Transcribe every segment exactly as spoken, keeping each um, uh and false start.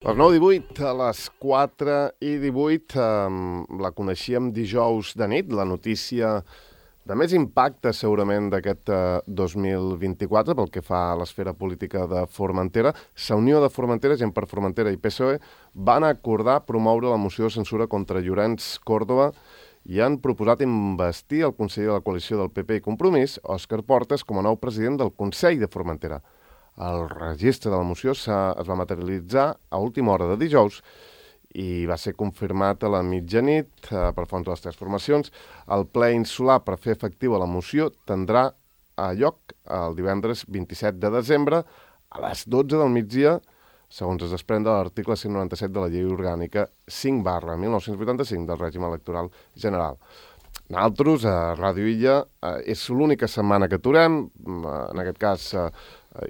Les nou i divuit, a les quatre i divuit, eh, la coneixíem dijous de nit, la notícia de més impacte segurament d'aquest eh, dos mil vint-i-quatre pel que fa a l'esfera política de Formentera. La Unió de Formentera, Gent per Formentera i P S O E van acordar promoure la moció de censura contra Llorenç Córdoba i han proposat investir el conseller de la coalició del P P i Compromís, Òscar Portas, com a nou president del Consell de Formentera. El registre de la moció es va materialitzar a última hora de dijous i va ser confirmat a la mitjanit eh, per fons de les tres formacions. El ple insular per fer efectiva la moció tindrà a lloc el divendres vint-i-set de desembre a les dotze del migdia, segons es desprèn de l'article cent noranta-set de la Llei Orgànica cinc barra mil nou-cents vuitanta-cinc del règim electoral general. Nosaltres, a Ràdio Illa, eh, és l'única setmana que aturem, en aquest cas, eh,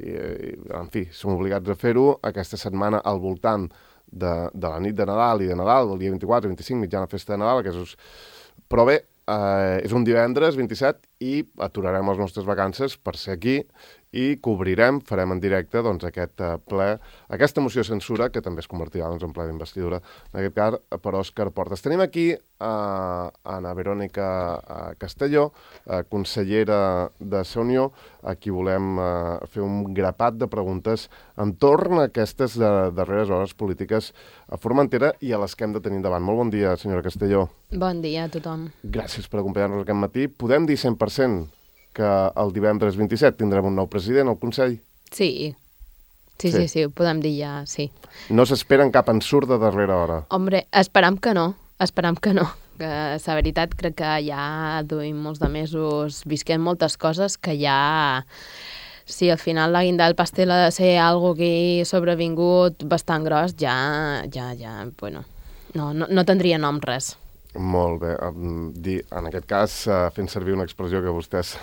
eh, en fi, som obligats a fer-ho, aquesta setmana al voltant de, de la nit de Nadal i de Nadal, del dia vint-i-quatre vint-i-cinc, mitjana festa de Nadal, és... però bé, eh, és un divendres vint-i-set i aturarem les nostres vacances per ser aquí i cobrirem, farem en directe doncs, aquest uh, ple, aquesta moció de censura, que també es convertirà doncs, en ple d'investidura, en aquest cas, per Òscar Portas. Tenim aquí uh, Ana Verònica uh, Castelló, uh, consellera de la Unió, a qui volem uh, fer un grapat de preguntes entorn a aquestes uh, darreres hores polítiques a Formentera i a les que hem de tenir endavant. Molt bon dia, senyora Castelló. Bon dia a tothom. Gràcies per acompanyar-nos aquest matí. Podem dir cent per cent que el divendres vint-i-set tindrem un nou president al Consell? Sí. Sí, sí, sí, sí, ho podem dir ja, sí. No s'esperen cap ensurt de darrera hora? Hombre, esperam que no, esperam que no. Que, la veritat, crec que ja duim molts de mesos visquent moltes coses que ja... Si al final la guinda del pastel ha de ser algo que ha sobrevingut bastant gros, ja, ja, ja, bueno, no, no, no tindria nom res. Molt bé. En aquest cas, fent servir una expressió que vostès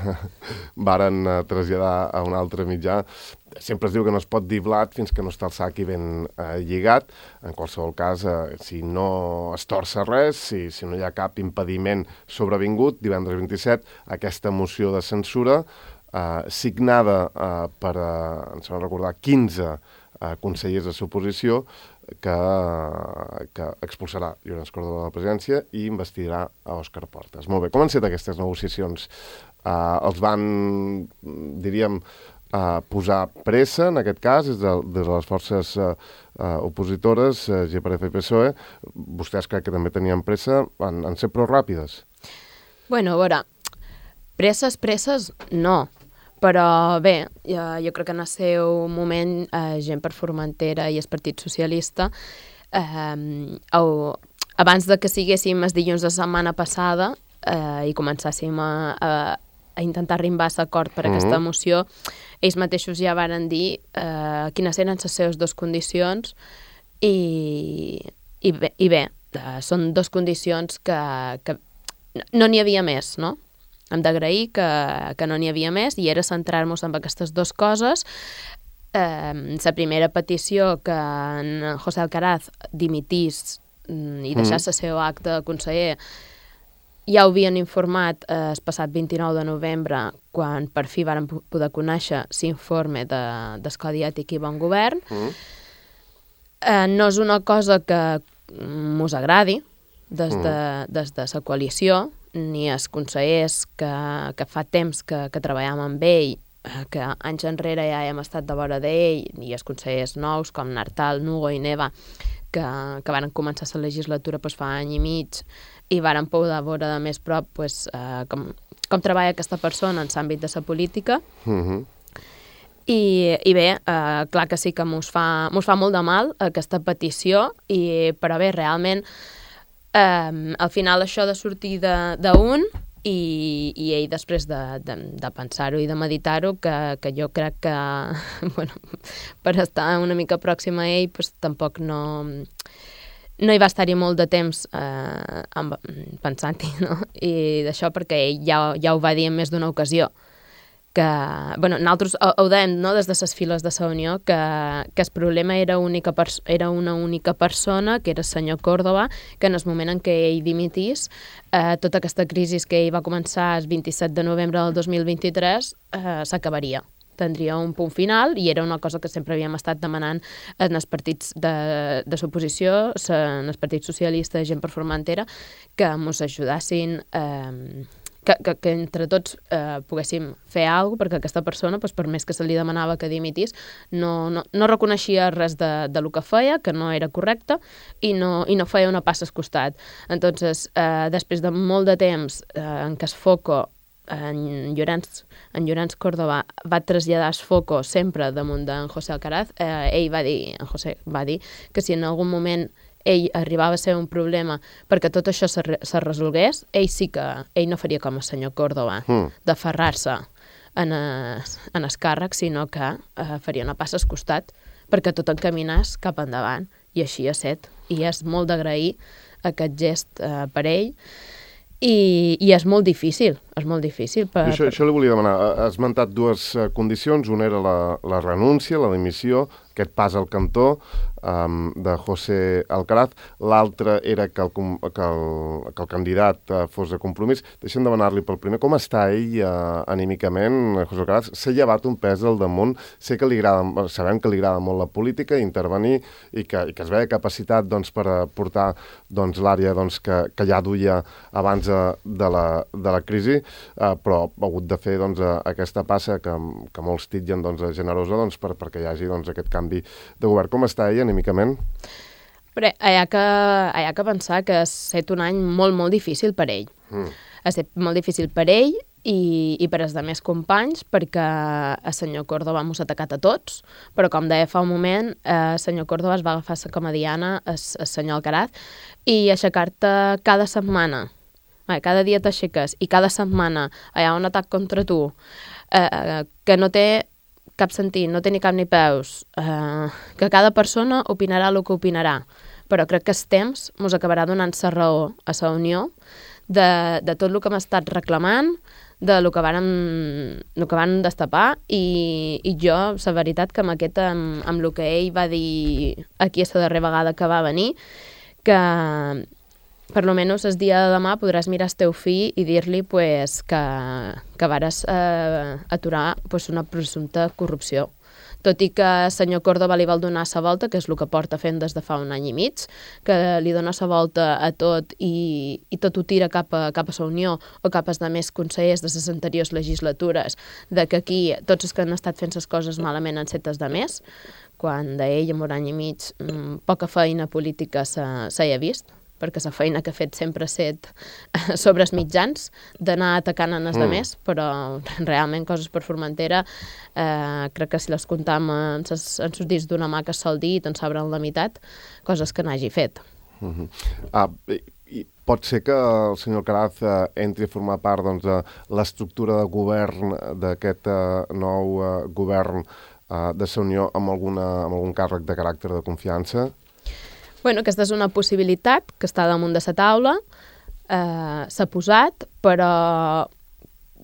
varen traslladar a un altre mitjà, sempre es diu que no es pot dir blat fins que no està el sac i ben eh, lligat. En qualsevol cas, eh, si no es torça res, si, si no hi ha cap impediment sobrevingut, divendres vint-i-set, aquesta moció de censura, eh, signada eh, per, eh, ens vam recordar, quinze eh, consellers de l'oposició, que, que expulsarà Llorenç Córdoba de la presidència i investirà a Òscar Portas. Molt bé, com han estat aquestes negociacions? Uh, els van, diríem, uh, posar pressa, en aquest cas, des de, des de les forces uh, uh, opositores, uh, G per F i P S O E. Vostès crec que també tenien pressa, han, han set prou ràpides? Bueno, a veure, presses, presses, no. Però bé, jo, jo crec que en el seu moment, eh, Gent per Formentera i el Partit Socialista, eh, au, abans de que siguéssim els dilluns de la setmana passada eh, i començàssim a, a, a intentar arribar a l'acord per a aquesta uh-huh. moció, ells mateixos ja varen dir eh, quines eren les seves dues condicions i, i bé, i bé eh, són dues condicions que, que no n'hi havia més, no? Hem d'agrair que, que no n'hi havia més i era centrar-nos en aquestes dues coses. Eh, la primera petició que en José Alcaraz dimitís i deixés mm. el seu acte de conseller ja ho havien informat eh, el passat vint-i-nou de novembre quan per fi varen poder conèixer l'informe de, del Codi Ètic i Bon Govern. Mm. Eh, no és una cosa que mos agradi des de, des de la coalició, ni els consellers que, que fa temps que, que treballem amb ell, que anys enrere ja hem estat de vora d'ell, ni els consellers nous com Nartal, Nugo i Neva, que, que van començar la legislatura pues, fa any i mig i varen poder veure de més prop pues, eh, com, com treballa aquesta persona en l'àmbit de la política. Uh-huh. I, i bé, eh, clar que sí que mos fa, mos fa molt de mal aquesta petició, i, però bé, realment Um, al final això de sortir d'un i, i ell després de, de, de pensar-ho i de meditar-ho, que, que jo crec que bueno, per estar una mica pròxima a ell pues, tampoc no, no hi va estar-hi molt de temps eh, amb, pensant-hi, no? I d'això perquè ell ja, ja ho va dir en més d'una ocasió, que, bueno, nosaltres ho, ho dèiem, no?, des de les files de la Unió, que, que el problema era, única era una única persona, que era el senyor Córdoba, que en el moment en què ell dimitís, eh, tota aquesta crisi que ell va començar el vint-i-set de novembre del dos mil vint-i-tres eh, s'acabaria. tindria un punt final, i era una cosa que sempre havíem estat demanant en els partits de, de l'oposició, en els partits socialistes, gent per Formentera, que ens ajudassin, eh, que, que, que entre tots eh, poguéssim fer alguna cosa, perquè aquesta persona, doncs, per més que se li demanava que dimitís, no, no, no reconeixia res de, de lo que feia, que no era correcte, i no, i no feia una passa al costat. Entonces, eh, després de molt de temps eh, en què es foco en Llorenç, en Llorenç Córdoba va traslladar el foco sempre damunt d'en José Alcaraz, eh, ell va dir, en José va dir que si en algun moment ell arribava a ser un problema perquè tot això se, se resolgués, ell sí que ell no faria com el senyor Córdoba, mm. d'aferrar-se en, es, en el càrrec, sinó que eh, faria una passa al costat perquè tot encaminés cap endavant, i així ha set, i és molt d'agrair aquest gest eh, per ell. I, i és molt difícil, és molt difícil. Per, això, per... això li volia demanar. Has esmentat dues uh, condicions. Una era la, la renúncia, la dimissió, aquest pas al cantó um, de José Alcaraz. L'altra era que el, que el, que el candidat uh, fos de Compromís. Deixem demanar-li pel primer. Com està ell uh, anímicament, José Alcaraz? S'ha llevat un pes al damunt. Sé que li agrada, sabem que li agrada molt la política, intervenir, i que, i que es veia capacitat doncs, per portar doncs, l'àrea doncs, que, que ja duia abans de la, de la crisi, eh, però ha hagut de fer doncs, aquesta passa que, que molts titllen doncs, generosa doncs, per, perquè hi hagi doncs, aquest canvi de govern. Com està ell anímicament? Però hi ha que, hi ha que pensar que ha estat un any molt, molt difícil per ell. Mm. Ha estat molt difícil per ell i, i per als altres companys, perquè el senyor Córdoba mos ha atacat a tots, però com deia fa un moment, el senyor Córdoba es va agafar com a diana el senyor Alcaraz, i aixecar-te cada setmana, cada dia t'aixeques, i cada setmana hi ha un atac contra tu, eh, que no té cap sentit, no té ni cap ni peus, eh, que cada persona opinarà el que opinarà, però crec que el temps ens acabarà donant la raó a la Unió de, de tot el que hem estat reclamant, de lo que vàrem, lo que van destapar, i, i jo, la veritat, que amb aquest, amb, amb el que ell va dir aquí la darrera vegada que va venir, que per lo menos el dia de demà podràs mirar el teu fill i dir-li pues, que, que vares eh, aturar pues, una presumpta corrupció. Tot i que el senyor Córdoba li vol donar la volta, que és el que porta fent des de fa un any i mig, que li dona la volta a tot i, i tot ho tira cap a, cap a la Unió o cap als altres consellers de les anteriors legislatures, de que aquí tots els que han estat fent les coses malament han set els altres, quan d'ell en un any i mig mmm, poca feina política s'hi ha vist, perquè la feina que ha fet sempre ha set sobre els mitjans, d'anar atacant en els mm. altres, però realment coses per Formentera, eh, crec que si les comptam en els dits d'una mà que es sol dir, doncs s'obren la meitat, coses que n'hagi fet. Mm -hmm. ah, i, i pot ser que el senyor Alcaraz eh, entri a formar part doncs, de l'estructura de govern d'aquest eh, nou eh, govern eh, de la Unió amb, alguna, amb algun càrrec de caràcter de confiança? Bueno, aquesta és una possibilitat que està damunt de la taula, eh, s'ha posat, però,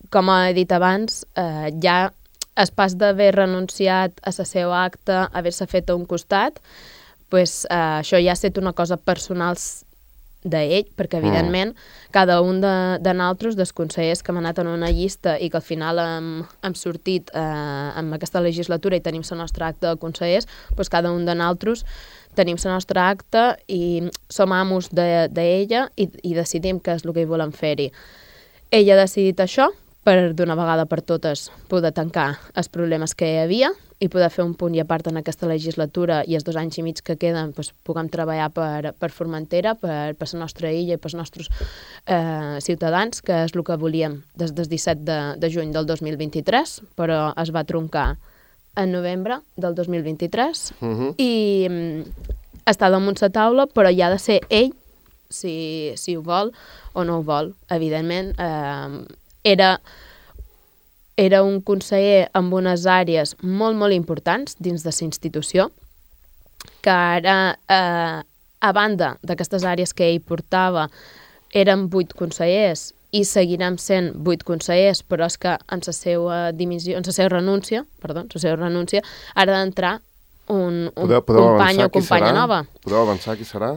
com he dit abans, eh, ja el pas d'haver renunciat a la seva acta, haver-se fet a un costat, pues, eh, això ja ha estat una cosa personal d'ell, perquè, evidentment, mm. cada un de, de nosaltres, dels consellers que hem anat en una llista i que al final hem, hem sortit eh, en aquesta legislatura i tenim la nostra acta de consellers, pues cada un de nosaltres tenim la nostra acta i som amos d'ella de, i, i decidim què és el que hi volem fer-hi. Ell ha decidit això per, d'una vegada per totes, poder tancar els problemes que hi havia i poder fer un punt i a part en aquesta legislatura i els dos anys i mig que queden doncs, puguem treballar per, per Formentera, per, per la nostra illa i pels nostres eh, ciutadans, que és el que volíem des del disset de, de juny del dos mil vint-i-tres, però es va troncar en novembre del dos mil vint-i-tres uh-huh. i um, està damunt la taula, però hi ha de ser ell si, si ho vol o no ho vol. Evidentment, eh, era, era un conseller amb unes àrees molt, molt importants dins de la institució, que ara, eh, a banda d'aquestes àrees que ell portava, eren vuit consellers i seguirem sent vuit consellers, però és que en la seva dimissió, en la seva renúncia, perdó, en la seva renúncia, ha d'entrar un, un podeu, podeu company o companya nova. Podeu avançar qui serà?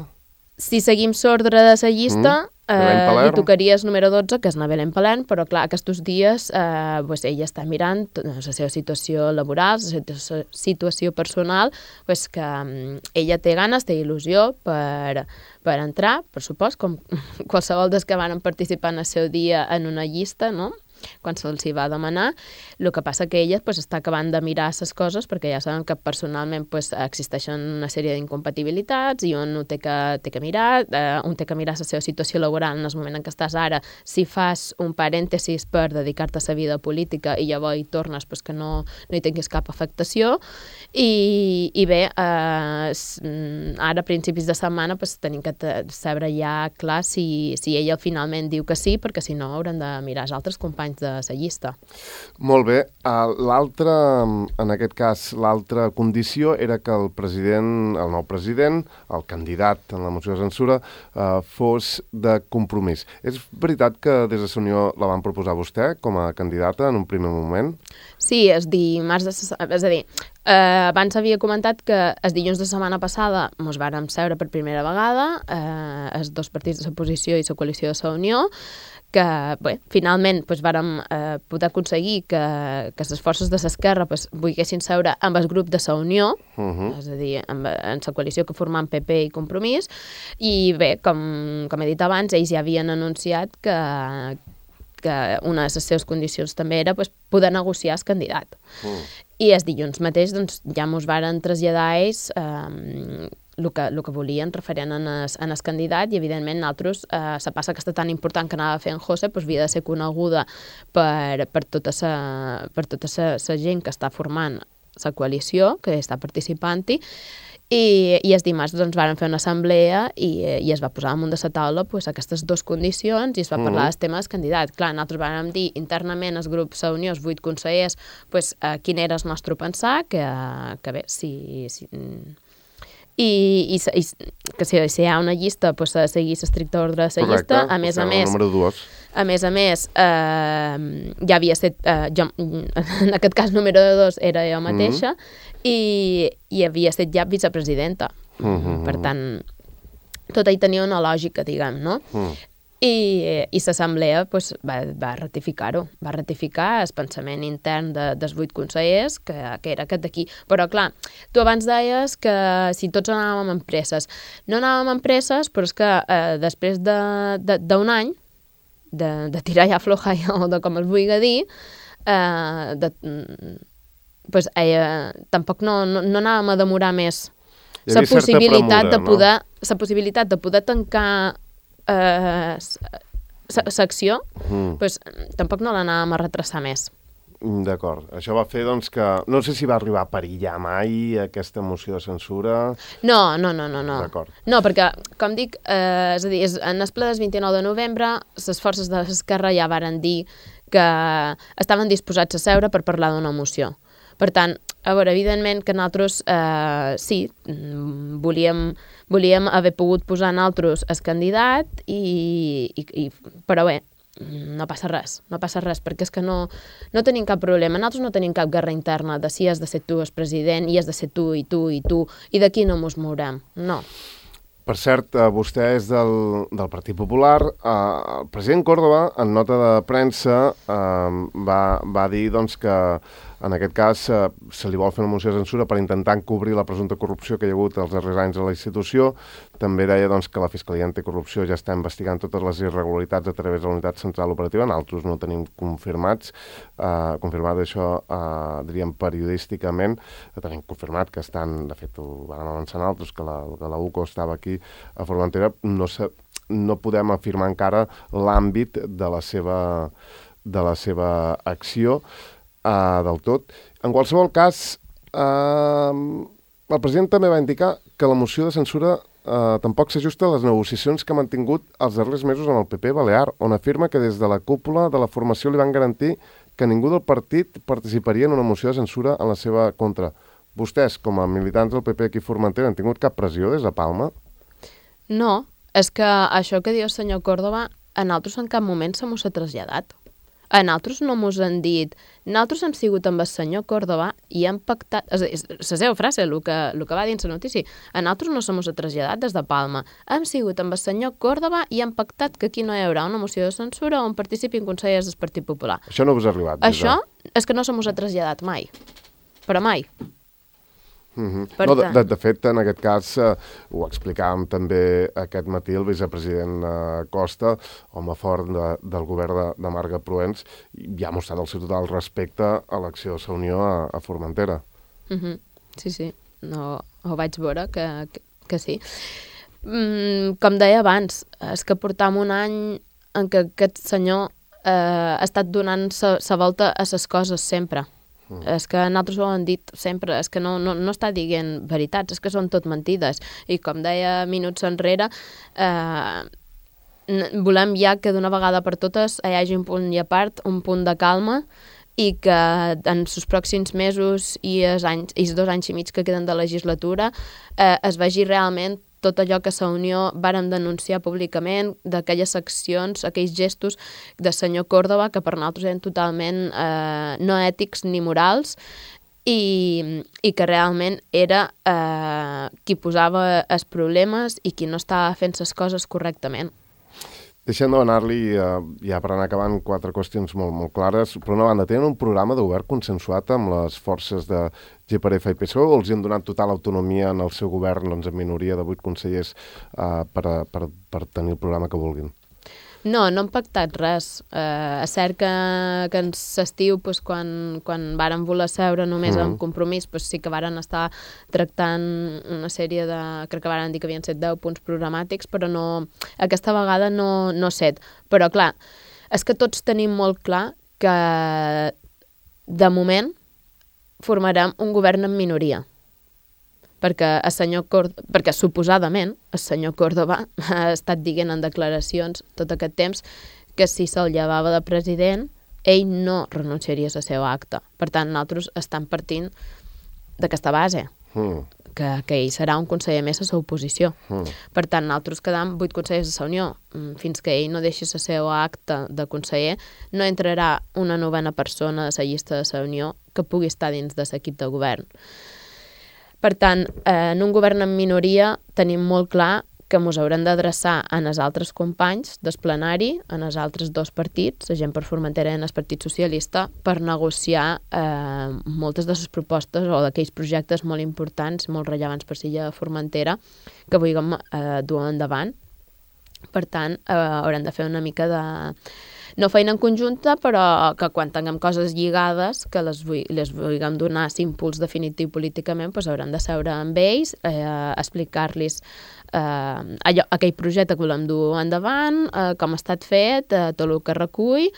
Si seguim l'ordre de la llista, Eh, li tocaries número dotze, que és na Belén Palern, però clar, aquests dies eh, pues, ella està mirant la seva situació laboral, la seva situació personal, pues, que um, ella té ganes, té il·lusió per, per entrar, per supost, com qualsevol dels que van participar en el seu dia en una llista, no?, quan se'ls hi va demanar. El que passa que ella pues, està acabant de mirar les coses perquè ja saben que personalment pues, existeixen una sèrie d'incompatibilitats i un ho té que, té que mirar, eh, un té que mirar la seva situació laboral en el moment en què estàs ara, si fas un parèntesis per dedicar-te a la vida política i llavors hi tornes pues, que no, no hi tinguis cap afectació i, i bé, eh, ara a principis de setmana pues, tenim que saber ja clar si, si ella finalment diu que sí, perquè si no hauran de mirar els altres companys de la llista. Molt bé. L'altra, en aquest cas, l'altra condició era que el president, el nou president, el candidat en la moció de censura, eh, fos de Compromís. És veritat que des de la Unió la van proposar vostè com a candidata en un primer moment? Sí, és dimarts de... És a dir, eh, abans havia comentat que els dilluns de setmana passada mos vàrem seure per primera vegada, eh, els dos partits de l'oposició i la coalició de la Unió, que bé, finalment doncs, vàrem eh, poder aconseguir que, que les forces de l'esquerra pues, volguessin seure amb el grup de la Unió, uh -huh. és a dir, amb, en la coalició que formam P P i Compromís, i bé, com, com he dit abans, ells ja havien anunciat que, que una de les seves condicions també era pues, poder negociar el candidat. Uh. I els dilluns mateix doncs, ja mos varen traslladar ells eh, el que, el que volien referent en el, en el candidat i, evidentment, nosaltres, eh, la passa aquesta tan important que anava fent José doncs, havia de ser coneguda per, per tota la per tota la gent que està formant la coalició, que està participant-hi, i, i els dimarts doncs, van fer una assemblea i, i es va posar damunt de la taula pues, aquestes dues condicions i es va parlar mm. del tema del candidat. Clar, nosaltres vam dir internament els grups a Unió, els vuit consellers, pues, eh, quin era el nostre pensar, que, que bé, si... si I, i, i que si, si hi ha una llista pues, s'ha de seguir l'estricte ordre de la llista. A més a més, a més a més, eh, ja havia estat, eh, jo, en aquest cas número dos era jo mateixa, mm -hmm. i, i havia estat ja vicepresidenta. Mm -hmm. Per tant, tot hi tenia una lògica, diguem, no? Mm. I, i l'assemblea pues, va, va ratificar-ho, va ratificar el pensament intern de, dels vuit consellers, que, que era aquest d'aquí. Però clar, tu abans deies que si tots anàvem amb presses. No anàvem amb presses, però és que eh, després d'un de, de, any, de, de tirar ja floja o de com es vulgui dir, eh, de, pues, eh, tampoc no, no, no anàvem a demorar més la possibilitat, premura, de poder, no? la possibilitat de poder tancar Uh, secció, mm. pues, tampoc no l'anàvem a retrasar més. D'acord. Això va fer, doncs, que... No sé si va arribar a perillar mai aquesta moció de censura... No, no, no, no. no. D'acord. No, perquè, com dic, eh, és a dir, en el ple del vint-i-nou de novembre, les forces de l'esquerra ja varen dir que estaven disposats a seure per parlar d'una moció. Per tant, a veure, evidentment que nosaltres, eh, sí, volíem, volíem haver pogut posar nosaltres el candidat, i, i, i, però bé, no passa res, no passa res, perquè és que no, no tenim cap problema. Nosaltres no tenim cap guerra interna de si has de ser tu el president, i has de ser tu, i tu, i tu, i d'aquí no mos mourem, no. Per cert, vostè és del, del Partit Popular. Uh, el president Córdoba, en nota de premsa, uh, va, va dir doncs, que en aquest cas uh, se li vol fer una moció de censura per intentar encobrir la presumpta corrupció que hi ha hagut els darrers anys a la institució. També deia doncs, que la Fiscalia Anticorrupció ja està investigant totes les irregularitats a través de la Unitat Central Operativa. Nosaltres no tenim confirmats, uh, confirmat això, uh, diríem, periodísticament. Tenim confirmat que estan, de fet, ho van avançar nosaltres, que la, que la U C O estava aquí a Formentera. No, se, no podem afirmar encara l'àmbit de la seva, de la seva acció uh, del tot. En qualsevol cas, uh, el president també va indicar que la moció de censura uh, tampoc s'ajusta a les negociacions que ha mantingut els darrers mesos amb el P P Balear, on afirma que des de la cúpula de la formació li van garantir que ningú del partit participaria en una moció de censura en la seva contra. Vostès, com a militants del P P aquí a Formentera, han tingut cap pressió des de Palma? No, és que això que diu el senyor Córdoba a nosaltres en cap moment se mos ha traslladat. A nosaltres no mos han dit... Nosaltres hem sigut amb el senyor Córdoba i hem pactat... És, és la seva frase, el que, el que va dir en la notícia. A nosaltres no se mos ha traslladat des de Palma. Hem sigut amb el senyor Córdoba i hem pactat que aquí no hi haurà una moció de censura on participin consellers del Partit Popular. Això no us ha arribat? Això és que no se mos ha traslladat mai. Però mai. Mm-hmm. No, de, de, de fet, en aquest cas, eh, ho explicàvem també aquest matí el vicepresident eh, Costa, home fort de, del govern de, de Marga Proens, i ha mostrat el seu total respecte a l'acció de la Unió a, a Formentera. Mm-hmm. Sí, sí, no, ho vaig veure que, que, que sí. Mm, com deia abans, és que portam un any en què aquest senyor eh, ha estat donant la volta a les coses sempre. Mm. És que nosaltres ho hem dit sempre, és que no, no, no està dient veritats, és que són tot mentides. I com deia minuts enrere, eh, volem ja que d'una vegada per totes hi hagi un punt i a part, un punt de calma, i que en els pròxims mesos i els, anys, i els dos anys i mig que queden de legislatura eh, es vegi realment tot allò que la Unió vàrem denunciar públicament, d'aquelles accions, aquells gestos del senyor Córdoba, que per nosaltres eren totalment eh, no ètics ni morals, i, i que realment era eh, qui posava els problemes i qui no estava fent les coses correctament. Deixem de donar-li, eh, ja per anar acabant, quatre qüestions molt, molt clares. Per una banda, tenen un programa de govern consensuat amb les forces de G per F i P S O E, o els han donat total autonomia en el seu govern, doncs, en minoria de vuit consellers, eh, per, a, per, per tenir el programa que vulguin? No, no hem pactat res. Eh, és cert que, que en l'estiu, pues, quan, quan vàrem voler seure només mm. amb compromís, pues, sí que varen estar tractant una sèrie de... Crec que varen dir que havien set deu punts programàtics, però no, aquesta vegada no, no set. Però, clar, és que tots tenim molt clar que, de moment, formarem un govern en minoria. Perquè, el senyor Córdoba, perquè suposadament el senyor Córdoba ha estat dient en declaracions tot aquest temps que si se'l llevava de president, ell no renunciaria a la seva acta. Per tant, nosaltres estem partint d'aquesta base, mm. que, que ell serà un conseller més a la oposició. Mm. Per tant, nosaltres quedam vuit consellers de la Unió. Fins que ell no deixi la seva acta de conseller, no entrarà una novena persona de la llista de la Unió que pugui estar dins de l'equip de govern. Per tant, eh, en un govern en minoria tenim molt clar que ens haurem d'adreçar a els altres companys del plenari, a els altres dos partits, la Gent per Formentera i el Partit Socialista, per negociar eh, moltes de les propostes o d'aquells projectes molt importants, molt rellevants per l'illa de Formentera, que vulguem eh, dur endavant. Per tant, eh, haurem de fer una mica de... no feina en conjunta, però que quan tinguem coses lligades, que les, vull, les vulguem donar l'impuls definitiu políticament, doncs haurem de seure amb ells, eh, explicar-los eh, allò, aquell projecte que volem dur endavant, eh, com ha estat fet, eh, tot el que recull,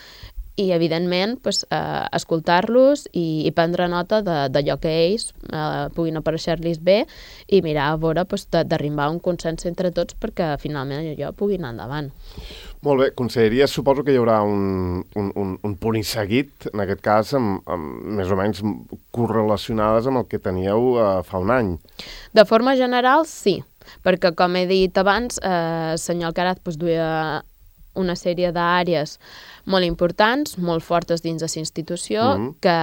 i, evidentment, pues, eh, escoltar-los i, i prendre nota d'allò que ells eh, puguin aparèixer-los bé i mirar a veure pues, d'arribar a un consens entre tots perquè finalment allò pugui anar endavant. Molt bé, conselleria, suposo que hi haurà un, un, un, un punt i seguit, en aquest cas, amb, amb, més o menys correlacionades amb el que teníeu eh, fa un any. De forma general, sí, perquè, com he dit abans, eh, el senyor Alcaraz pues, duia una sèrie d'àrees molt importants, molt fortes dins de la institució, mm-hmm. que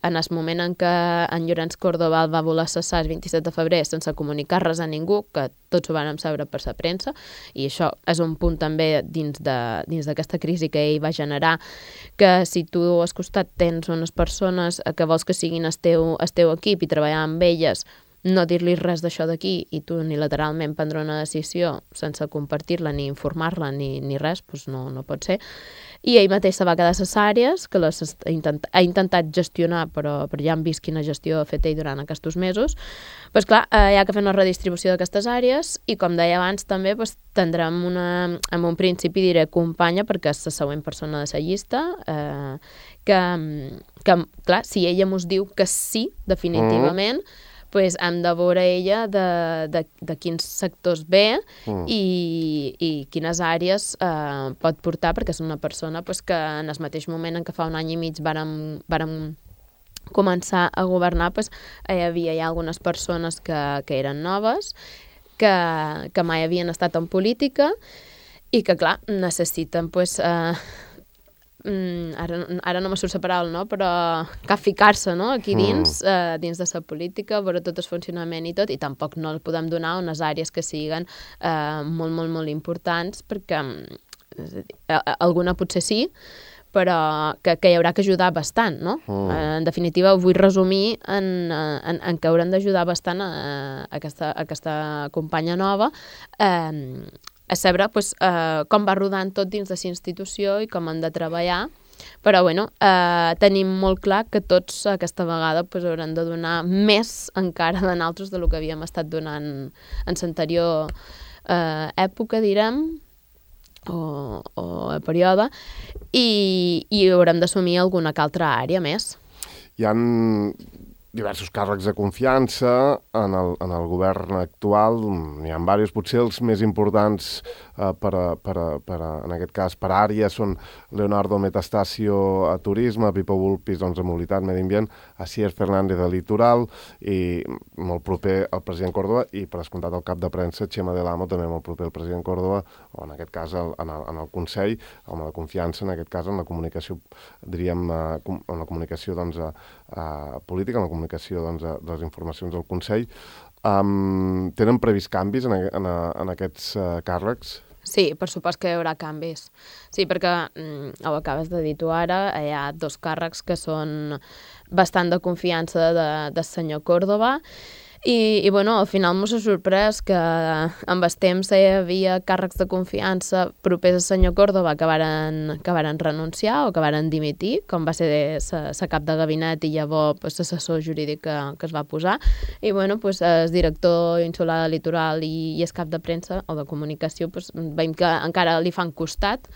en el moment en què en Llorenç Córdoba el va voler cessar el vint-i-set de febrer sense comunicar res a ningú, que tots ho vàrem saber per la premsa, i això és un punt també dins de, dins d'aquesta crisi que ell va generar, que si tu al costat tens unes persones que vols que siguin el teu, el teu equip i treballar amb elles, no dir-li res d'això d'aquí i tu unilateralment prendre una decisió sense compartir-la ni informar-la ni, ni res, doncs no, no pot ser. I ell mateix se va quedar a les àrees, que les ha, intent, ha intentat gestionar, però, però ja hem vist quina gestió ha fet ell durant aquests mesos. Doncs clar, eh, hi ha que fer una redistribució d'aquestes àrees i, com deia abans, també doncs, tindrem una, en un principi diré companya, perquè és la següent persona de la llista, eh, que, que, clar, si ella mos diu que sí, definitivament, mm. pues hem de veure ella de, de, de quins sectors ve mm. i, i quines àrees eh, pot portar, perquè és una persona pues, que en el mateix moment en què fa un any i mig vàrem, vàrem començar a governar, pues, hi havia ja algunes persones que, que eren noves, que, que mai havien estat en política i que, clar, necessiten pues, eh, mm, ara, ara no me surt la paraula, no? Però capficar-se, no? Aquí dins, mm. eh, dins de la política, veure tot el funcionament i tot, i tampoc no el podem donar unes àrees que siguin eh, molt, molt, molt importants, perquè és a dir, alguna potser sí, però que, que hi haurà que ajudar bastant, no? Mm. Eh, en definitiva, ho vull resumir en, en, en que haurem d'ajudar bastant a, a, aquesta, a aquesta companya nova, eh, a saber pues, eh, com va rodant tot dins de la institució i com han de treballar, però bueno, eh, tenim molt clar que tots aquesta vegada pues, haurem de donar més encara de nosaltres del que havíem estat donant en l'anterior eh, època, direm, o, o període, i, i haurem d'assumir alguna que altra àrea més. Hi ha diversos càrrecs de confiança en el, en el govern actual, n'hi ha diversos, potser els més importants eh, per, a, per, a, per a, en aquest cas per àrea són Leonardo Metastasio a Turisme, Pipo Vulpis doncs, a Mobilitat, Medi Ambient, Asier Fernández a Litoral i molt proper al president Córdoba i per descomptat el cap de premsa Chema del Amo, també molt proper al president Córdoba, o en aquest cas el, en, el, en el Consell, home de confiança, en aquest cas en la comunicació, diríem, eh, en la comunicació doncs, a, a política, en la comunicació doncs, de, de les informacions del Consell. Um, tenen previst canvis en, en, en aquests uh, càrrecs? Sí, per supost que hi haurà canvis. Sí, perquè, mm, ho acabes de dir tu ara, hi ha dos càrrecs que són bastant de confiança de, del senyor Córdoba, i, i bueno, al final m'ho s'ha sorprès que amb el temps hi havia càrrecs de confiança propers al senyor Córdoba que varen, que varen renunciar o que varen dimitir, com va ser la cap de gabinet i llavors pues, l'assessor jurídic que, que es va posar. I bueno, pues, el director insular de Litoral i, i el cap de premsa o de comunicació pues, veiem que encara li fan costat,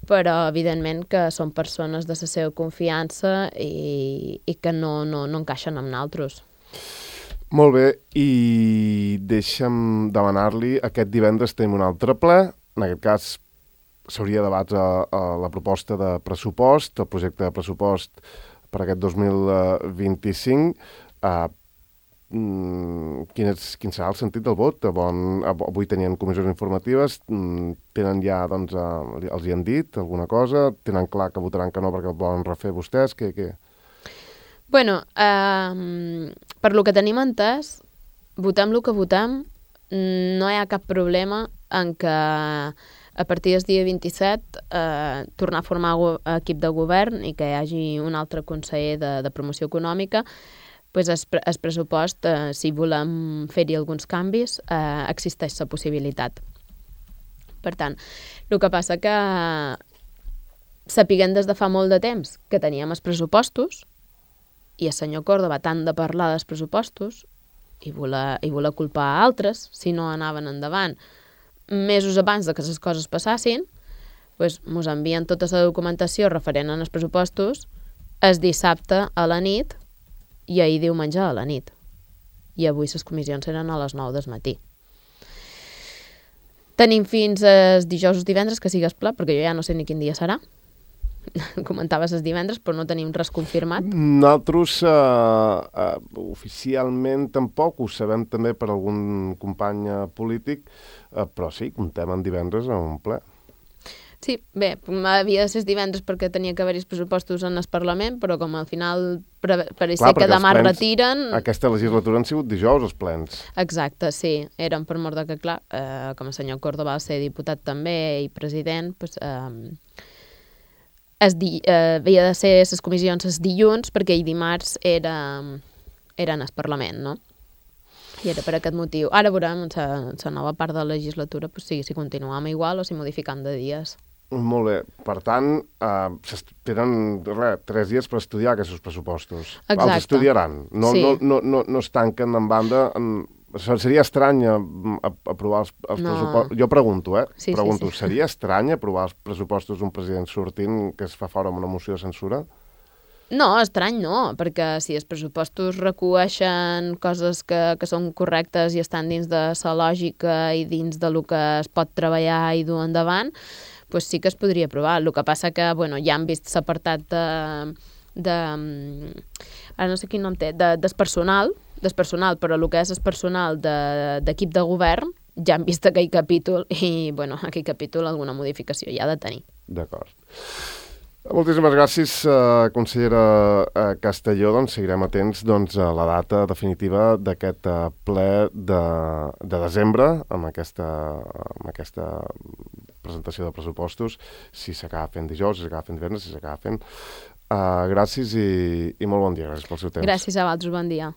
però evidentment que són persones de la seva confiança i, i que no, no, no encaixen amb nosaltres. Molt bé, i deixa'm demanar-li, aquest divendres tenim un altre ple, en aquest cas s'hauria de debatre a la proposta de pressupost, el projecte de pressupost per aquest dos mil vint-i-cinc. Uh, quin, és, quin serà el sentit del vot? Bon, avui tenien comissions informatives, tenen ja, doncs, uh, els hi han dit alguna cosa? Tenen clar que votaran que no perquè el volen refer vostès? Què, què? Bueno, eh, per lo que tenim entès, votem el que votem, no hi ha cap problema en que a partir del dia vint-i-set eh, tornar a formar equip de govern i que hi hagi un altre conseller de, de promoció econòmica, pues el, el pressupost, eh, si volem fer-hi alguns canvis, eh, existeix la possibilitat. Per tant, el que passa que sapiguem des de fa molt de temps que teníem els pressupostos, i el senyor Córdoba tant de parlar dels pressupostos i voler, i voler culpar a altres si no anaven endavant mesos abans de que les coses passassin, doncs mos envien tota la documentació referent als pressupostos el dissabte a la nit i ahir diumenge a la nit. I avui les comissions eren a les nou del matí. Tenim fins els dijous o divendres que sigues pla, perquè jo ja no sé ni quin dia serà. Comentaves els divendres, però no tenim res confirmat. Nosaltres uh, uh, oficialment tampoc, ho sabem també per algun company polític, uh, però sí, comptem en divendres a un ple. Sí, bé, havia de ser divendres perquè tenia que haver-hi els pressupostos en el Parlament, però com al final pareixia que demà plens, retiren... Aquesta legislatura han sigut dijous, els plens. Exacte, sí. Eren per mort de que, clar, eh, com el senyor Córdoba va ser diputat també i president, doncs... Eh, Es di, eh, havia de ser les comissions els dilluns perquè el dimarts era, era en el Parlament, no? I era per aquest motiu. Ara veurem la nova part de la legislatura pues, si, si continuam igual o si modificam de dies. Molt bé. Per tant, eh, tenen res, tres dies per estudiar aquests pressupostos. Exacte. Els estudiaran. No, sí. no, no, no, no es tanquen en banda... En... Seria estrany aprovar els, els no. pressupostos... Jo pregunto, eh? Sí, pregunto, sí, sí. Seria estrany aprovar els pressupostos d'un president sortint que es fa fora amb una moció de censura? No, estrany no, perquè si els pressupostos recueixen coses que, que són correctes i estan dins de la lògica i dins de lo que es pot treballar i dur endavant, doncs sí que es podria aprovar. El que passa que, bueno, ja han vist l'apartat de... de ara no sé quin nom té, de, del personal, del personal, però el que és el personal d'equip de, de govern, ja han vist aquell capítol i, bueno, aquell capítol alguna modificació ja ha de tenir. D'acord. Moltíssimes gràcies, uh, consellera uh, Castelló. Doncs seguirem atents doncs, a la data definitiva d'aquest uh, ple de, de desembre, amb aquesta, amb aquesta presentació de pressupostos, si s'acaba fent dijous, si s'acaba fent divendres, si s'acaba fent. Uh, gràcies i, i molt bon dia. Gràcies pel seu temps. Gràcies a vosaltres, bon dia.